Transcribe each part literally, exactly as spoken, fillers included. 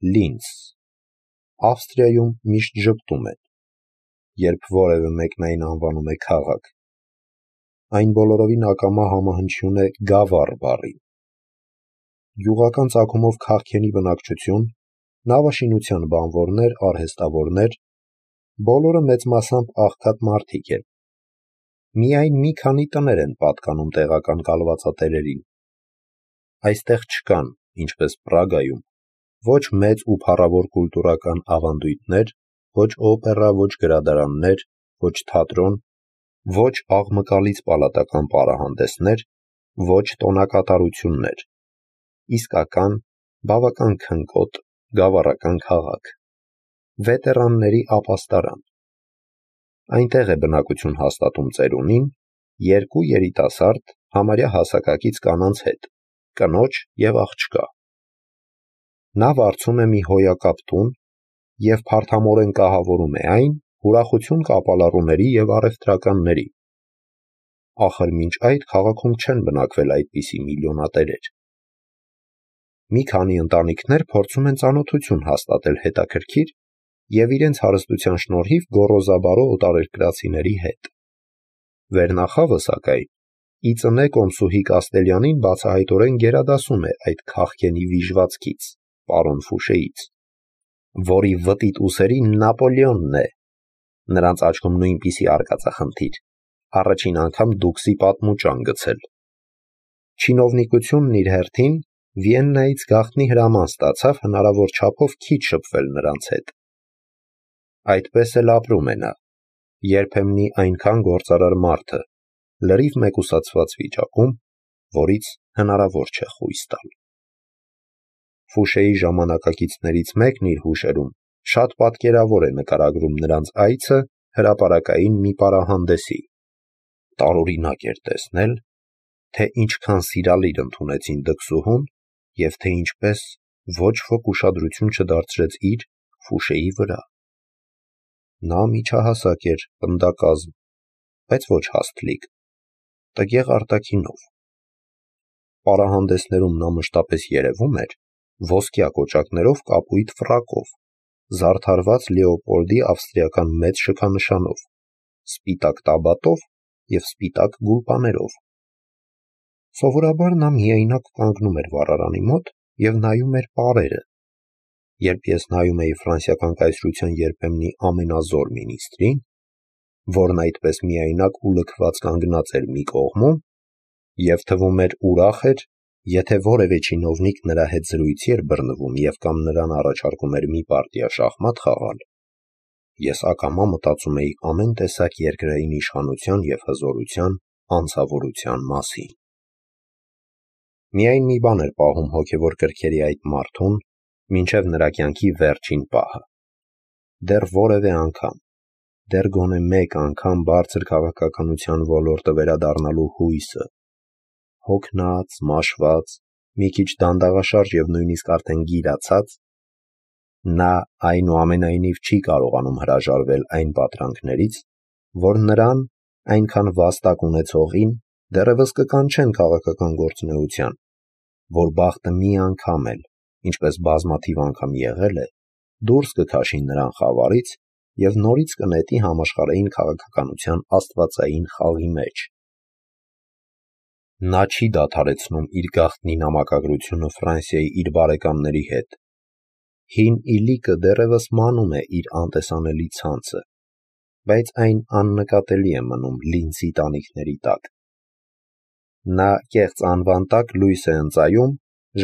Լինց։ Ավստրիայում միշտ ժպտում են, երբ որևէ մեկն այն անվանում է քաղաք։ Այն բոլորովին ակամա համահնչյուն է գավառ բառին։ Գյուղական ծագումով քաղքենի բնակչություն, նավաշինության բանվորներ, արհեստավորներ, բոլորը մեծ մասամբ աղքատ մարդիկ են։ Միայն մի քանի տներ են պատկանում տեղական կալվածատերերին։ Այստեղ չկան, ինչպես Պրագայում, ոչ մեծ ու փառավոր կուլտուրական ավանդույթներ, ոչ օպերա, ոչ գրադարաններ, ոչ թատրոն, ոչ աղմկալից պալատական պարահանդեսներ, ոչ տոնակատարություններ, իսկական, բավական քնկոտ, գավառական քաղաք, վետերանների ապաստարան։ Այնտեղ է բնակություն հաստատում ծերունին, երկու երիտասարդ, համարյա հասակակից կանանց հետ, կնոջ և աղջկա։ Նա վարձում է մի հոյակապ տուն և փարթամորեն կահավորում է այն ուրախություն կապալառուների և առևտրականների։ Ախր մինչ այդ քաղաքում չեն բնակվել այդպիսի միլիոնատերեր։ Մի քանի ընտանիքներ փորձում են ծանոթություն հաստատել հետաքրքիր և իրենց հարստության շնորհիվ գոռոզաբարո օտարերկրացիների հետ։ Վերնախավը, սակայն, ի ծնե կոմսուհի Կաստելյանին բացահայտորեն գերադասում է այդ քաղքենի վիժվածքից, պարոն Ֆուշեից, որի վտիտ ուսերի Նապոլեոնն է, նրանց աչքում նույնպիսի արկածախնդիր, առաջին անգամ դուքսի պատմուճան գցել։ Չինովնիկությունն իր հերթին Վիեննայից գաղտնի հրաման ստացավ հնարավոր չափով քիչ շփվել նրանց հետ։ Այդպես էլ ապրում է նա, երբեմնի այնքան գործարար մարդը, լրիվ մեկուսացված վիճակում, որից հնարավոր չէ խույս տալ։ Ֆուշեի ժամանակակիցներից մեկն իր հուշերում շատ պատկերավոր է նկարագրում նրանց այցը հրապարակային մի պարահանդեսի։ Տարօրինակ էր տեսնել, թե ինչքան սիրալիր ընդունեցին դքսուհուն և թե ինչպես ոչ ոք ուշադրություն չդարձրեց իր՝ Ֆուշեի վրա։ Նա միջահասակ էր, պնդակազմ, բայց ոչ հաստլիկ, տգեղ արտաքինով։ Պարահանդեսներում նա մշտապես երևում էր ոսկյա կոճակներով կապույտ ֆրակով, զարդարված Լեոպոլդի ավստրիական մեծ շքանշանով, սպիտակ տաբատով և սպիտակ գուլպաներով։ Սովորաբար նա միայնակ կանգնում էր վառարանի մոտ և նայում էր պարերը։ Երբ ես նայում էի ֆրանսիական կայսրության երբեմնի ամենազոր մինիստրին, որն այդպես միայնակ ու լքված կանգնած էր մի կողմում, և թվում էր ուրախ էր, եթե որևէ չինովնիկ նրա հետ զրույցի էր բռնվում և կամ նրան առաջարկում էր մի պարտիա շախմատ խաղալ, ես ակամա մտածում էի ամեն տեսակ երկրային իշխանության և հզորության անձավորության մասին։ Միայն մի բան էր պահում հոգևոր կրքերի այդ մարդուն մինչև նրա կյանքի վերջին պահը։ Դեռ որևէ անգամ, դեռ գոնե մեկ անգամ բարձր քաղաքականության ոլորտը վերադառնալու հույսը։ Հոգնած, մաշված, մի քիչ դանդաղաշարժ և նույնիսկ արդեն գիրացած, նա այնուամենայնիվ չի կարողանում հրաժարվել այն պատրանքներից, որ նրան, այնքան վաստակ ունեցողին, դեռևս կկանչեն քաղաքական գործունեության, որ բախտը մի անգամ էլ, ինչպես բազմաթիվ անգամ եղել է, դուրս կքաշի նրան խավարից և նորից կնետի համաշխարհային քաղաքականության աստվածային խաղի մեջ։ Նա չի դադարեցնում իր գաղտնի նամակագրությունը Ֆրանսիայի իր բարեկամների հետ։ Հին իլիկը դեռևս մանում է իր անտեսանելի ցանցը, բայց այն աննկատելի է մնում Լինցի տանիքների տակ։ Նա կեղծ անվան տակ լույս է ընծայում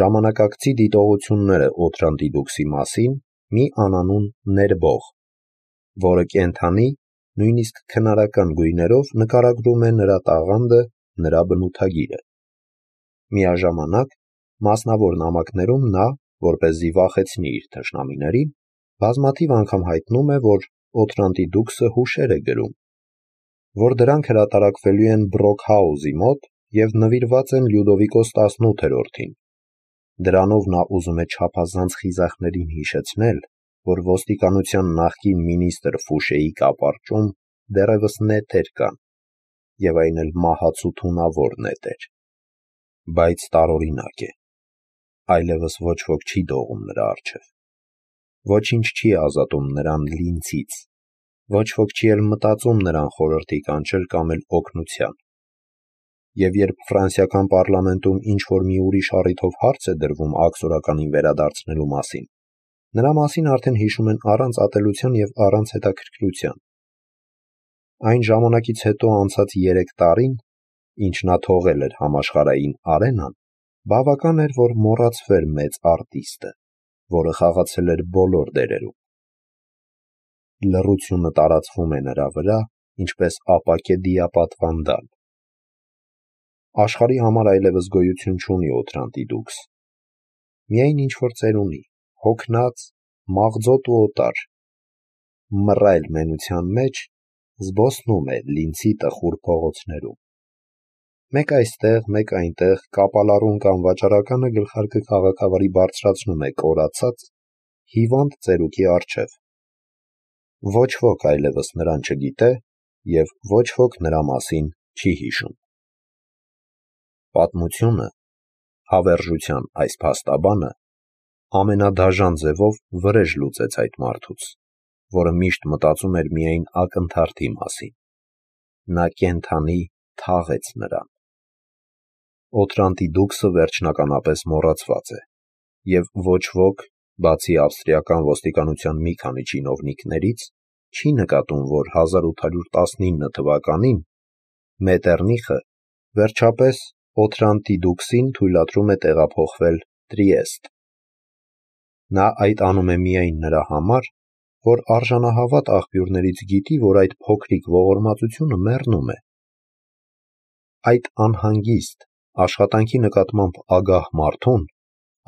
ժամանակակցի դիտողությունները Օթրանտի դուքսի մասին մի անանուն ներբող, որը կենդանի, նույնիսկ քնարական գույներով նկարագրում է նրա տաղանդը, նրա բնութագիրը։ Միաժամանակ, մասնավոր նամակներում նա, որպեսզի վախեցնի իր թշնամիներին, բազմաթիվ անգամ հայտնում է, որ Օթրանտի դուքսը հուշեր է գրում, որ դրանք հրատարակվելու են Բրոքհաուզի մոտ և նվիրված են Լյուդովիկոս տասնութերորդին։ Դրանով նա ուզում է չափազանց խիզախներին հիշեցնել, որ ոստիկանության նախկին մինիստր Ֆուշեի կապարճում դեռևս նետեր կան, և այն էլ մահացու թունավոր նետեր։ Բայց տարօրինակ է, այլևս ոչ ոք չի դողում նրա առջև։ Ոչինչ չի ազատում նրան լինցից, ոչ ոք չի էլ մտածում նրան խորհրդի կանչել կամ էլ օգնության։ Եվ երբ ֆրանսիական պարլամենտում ինչ-որ մի ուրիշ առիթով հարց է դրվում աքսորականին վերադարձնելու մասին, նրա մասին արդեն հիշում են առանց ատելության և առանց հետաքրքրության։ Այն ժամանակից հետո անցած երեք տարին, ինչ նա թողել էր համաշխարհային արենան, բավական էր, որ մոռացվեր մեծ արտիստը, որը խաղացել էր բոլոր դերերում։ Լռությունը տարածվում է նրա վրա, ինչպես ապակե դիապատվանդալ։ Աշխարհի համար այլևս գոյություն չունի Օթրանտի դուքս։ Միայն ինչ-որ ծերունի, հոգնած, մաղձոտ ու օտար, մռայլ մենության մեջ զբոսնում է Լինցի տխուր փողոցներում։ Մեկ այստեղ, մեկ այնտեղ կապալառուն կամ վաճառականը գլխարկը քաղաքավարի բարձրացնում է կորացած, հիվանդ ծերուկի առջև։ Ոչ ոք այլևս նրան չգիտե և ոչ ոք նրա մասին չի հիշում։ Պատմությունը, հավերժության այս փաստաբանը, ամենադաժան ձևով վրեժ լուծեց այդ մարդուց, որը միշտ մտածում էր միայն ակնթարթի մասին։ Նա կենդանի թաղեց նրան։ Օթրանտի դուքսը վերջնականապես մոռացված է, և ոչ ոք, բացի ավստրիական ոստիկանության մի քանի չինովնիկներից, չի նկատում, որ հազար ութ հարյուր տասնինը թվականին Մետերնիխը վերջապես Օթրանտի դուքսին թույլատրում է տեղափոխվել Տրիեստ։ Նա այդ անում է միայն նրա համար, որ արժանահավատ աղբյուրներից գիտի, որ այդ փոքրիկ ողորմածությունը մեռնում է։ Այդ անհանգիստ, աշխատանքի նկատմամբ ագահ մարդուն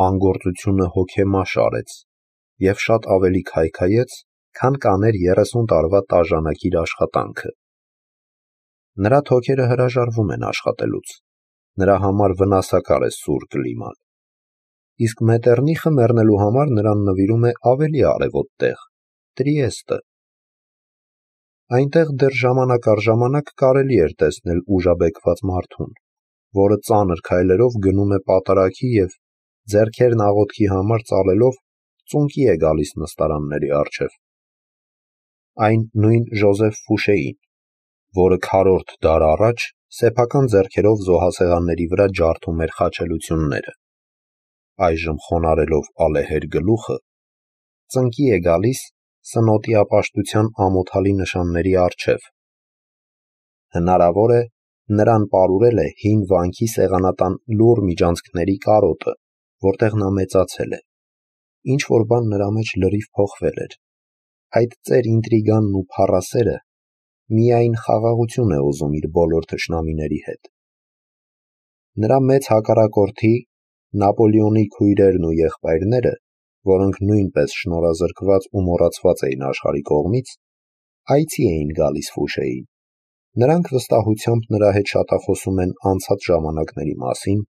անգործությունը հոգեմաշ արեց և շատ ավելի քայքայեց, քան կաներ երեսուն տարվա տաժանակիր աշխատանքը։ Նրա թոքերը հրաժարվում են աշխատելուց, նրա համար վնասակար է սուր կլիման։ Իսկ Մետերնիխը մեռնելու համար նրան նվիրում է ավելի արևոտ տեղ՝ Տրիեստը։ Այնտեղ դեռ ժամանակ առ ժամանակ կարելի էր տեսնել ուժաբեկված մարդուն, որը ծանր քայլերով գնում է պատարագի և, ձեռքերն աղոթքի համար ծալելով, ծունկի է գալիս նստարանների առջև։ Այն նույն Ժոզեֆ Ֆուշեին, որը քառորդ դար առաջ սեփական ձեռքերով զոհասեղանների վրա ջարդում էր խաչելությունները, այժմ խոնարհելով ալեհեր գլուխը, ծնկի է գալիս սնոտի ապաշտության ամոթալի նշանների առջև։ Հնարավոր է, նրան պարուրել է հին վանքի սեղանատան լուռ միջանցքների կարոտը, որտեղ նա մեծացել է։ Ինչ-որ բան նրա մեջ լրիվ փոխվել էր։ Այդ ծեր ինտրիգանն ու փառասերը միայն խաղաղություն է ուզում իր բոլոր թշնամիների հետ։ Նրա մեծ հակառակորդի՝ Նապոլեոնի քույրերն ու եղբայրները, որոնք նույնպես շնորհազրկված ու մոռացված էին աշխարհի կողմից, այցի էին գալիս Ֆուշեին։ Նրանք վստահությամբ նրա հետ շատախոսում են անցած ժամանակների մասին,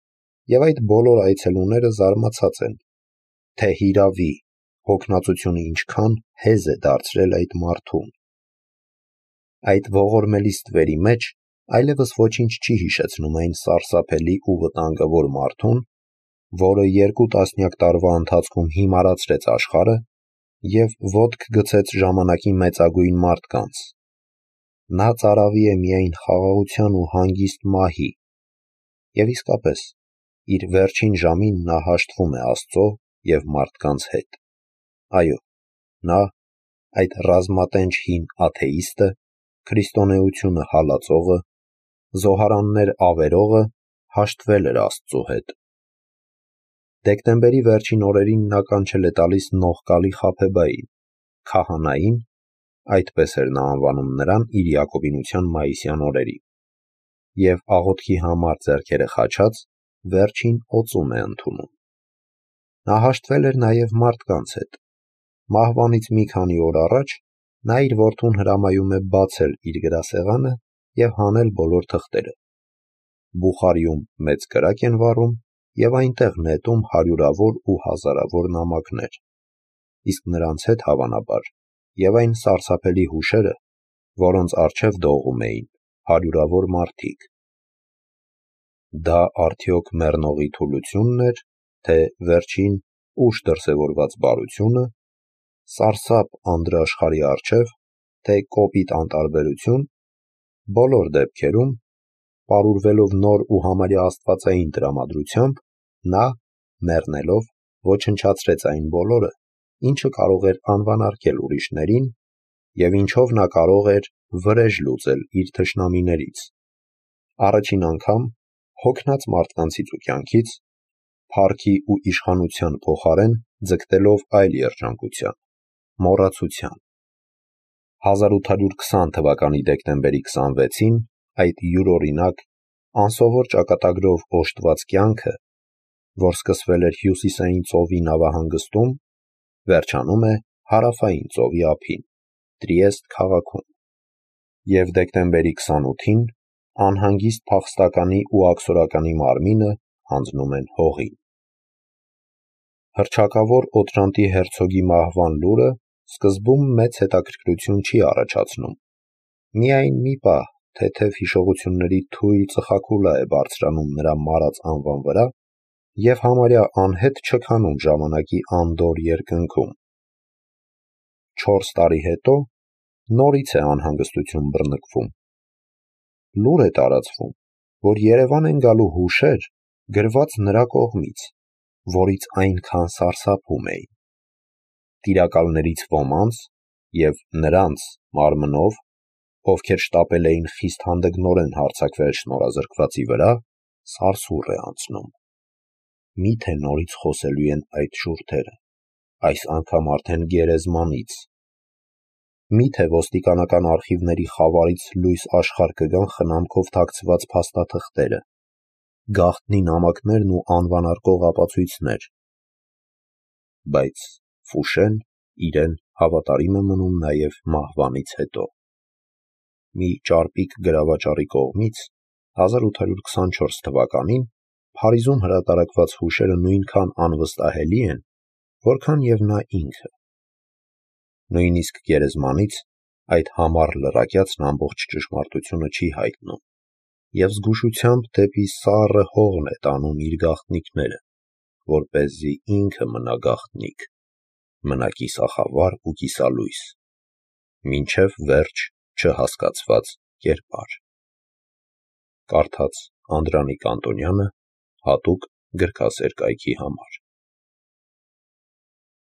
և այդ բոլոր այցելուները զարմացած են, թե հիրավի հոգնածությունը ինչքան հեզ է դարձրել այդ մարդուն։ Այդ ողորմելի ստվերի մեջ այլևս ոչինչ չի հիշեցնում այն սարսափելի ու վտանգավոր մարդուն, որը երկու տասնյակ տարվա ընթացքում հիմարացրեց աշխարհը և ոտք գցեց ժամանակի մեծագույն մարդկանց։ Նա ծարավի է միայն խաղաղության ու հանգիստ մահի, և իսկապես, իր վերջին ժամին նա հաշտվում է Աստծո և մարդկանց հետ։ Այո, նա, այդ ռազմատենչ հին աթեիստը, քրիստոնեությունը հալածողը, զոհարաններ ավերողը հաշտվել էր Աստծո հետ։ Դեկտեմբերի վերջին օրերին նա կանչել է տալիս Նողկալի Խաբեբային, քահանային, այդպես էր նա անվանում նրան իր յակոբինության մայիսյան օրերին, և աղոթքի համար ձեռքերը խաչած, վերջին օծում է ընդունում։ Նա հաշտվել էր նաև մարդկանց հետ։ Մահվանից մի քանի օր առաջ նա իր որդուն հրամայում է բացել իր գրասեղանը և հանել բոլոր թղթերը։ Բուխարիում մեծ կրակ են վառում և այնտեղ նետում հարյուրավոր ու հազարավոր նամակներ, իսկ նրանց հետ, հավանաբար, և այն սարսափելի հուշերը, որոնց առջև դողում էին հարյուրավոր մարդիկ։ Դա արդյոք մեռնողի թուլությունն էր, թե վերջին ուշ դրսևորված բարությունը, սարսափ անդրաշխարհի առջև, թե կոպիտ անտարբերություն, բոլոր դեպքերում, պարուրվելով նոր ու համարյա աստվածային տրամադրությամբ, նա, մեռնելով, ոչնչացրեց այն բոլորը, ինչը կարող էր անվանարկել ուրիշներին, և ինչով նա կարող էր վրեժ լուծել իր թշնամիներից, առաջին անգամ հոգնած մարդկանցից ու կյանքից, փառքի ու իշխանության փոխարեն ձգտելով այլ երջանկության, մոռացության։ հազար ութ հարյուր քսան թվականի դեկտեմբերի քսանվեցին այդ յուրօրինակ, անսովոր ճակատագրով օժտված կյանքը, որ սկսվել էր հյուսիսային ծովի նավահանգստում, վերջանում է հարավային ծովի ափին, Տրիեստ քաղաքում, և դեկտեմբերի քսանութին անհանգիստ փախստականի ու աքսորականի մարմինը հանձնում են հողին։ Հռչակավոր Օտրանտի հերցոգի մահվան լուրը սկզբում մեծ հետաքրքրություն չի առաջացնում, միայն մի պահ թեթև հիշողությունների թույլ ծխախուլա է բարձրանում նրա մարած անվան վրա և համարյա անհետ չքանում ժամանակի անդորր երկնքում։ Չորս տարի հետո նորից է անհանգստություն բռնկվում։ Լուր է տարածվում, որ Երևան են գալու հուշեր, գրված նրա կողմից, որից այնքան սարսափում էին։ Տիրակալներից ոմանց և նրանց մարմնով, ովքեր շտապել էին խիստ հանդգնորեն հարձակվել շնորհազրկվածի վրա, սարսուռ է անցնում։ Մի՞թե նորից խոսելու են այդ շուրթերը, այս անգամ արդեն գերեզմանից։ Մի՞թե ոստիկանական արխիվների խավարից լույս աշխարհ կգան խնամքով թաքցված փաստաթղթերը, գաղտնի նամակներն ու անվանարկող ապացույցներ։ Բայց Ֆուշեն իրեն հավատարիմ է մնում նաև մահվանից հետո։ Մի ճարպիկ գրավաճառի կողմից հազար ութ հարյուր քսանչորս թվականին Փարիզում հրատարակված հուշերը նույնքան անվստահելի են, որքան և նա ինքը։ Նույնիսկ գերեզմանից այդ համառ լրակյացն ամբողջ ճշմարտությունը չի հայտնում և զգուշությամբ դեպի սառը հողն է տանում իր գաղտնիքները, որպեսզի ինքը մնա գաղտնիք, մնա կիսախավար ու կիսալույս, մինչև վերջ չհասկացված կերպար։ Կարդաց Անդրանիկ Անտոնյանը հատուկ գրքասեր կայքի համար։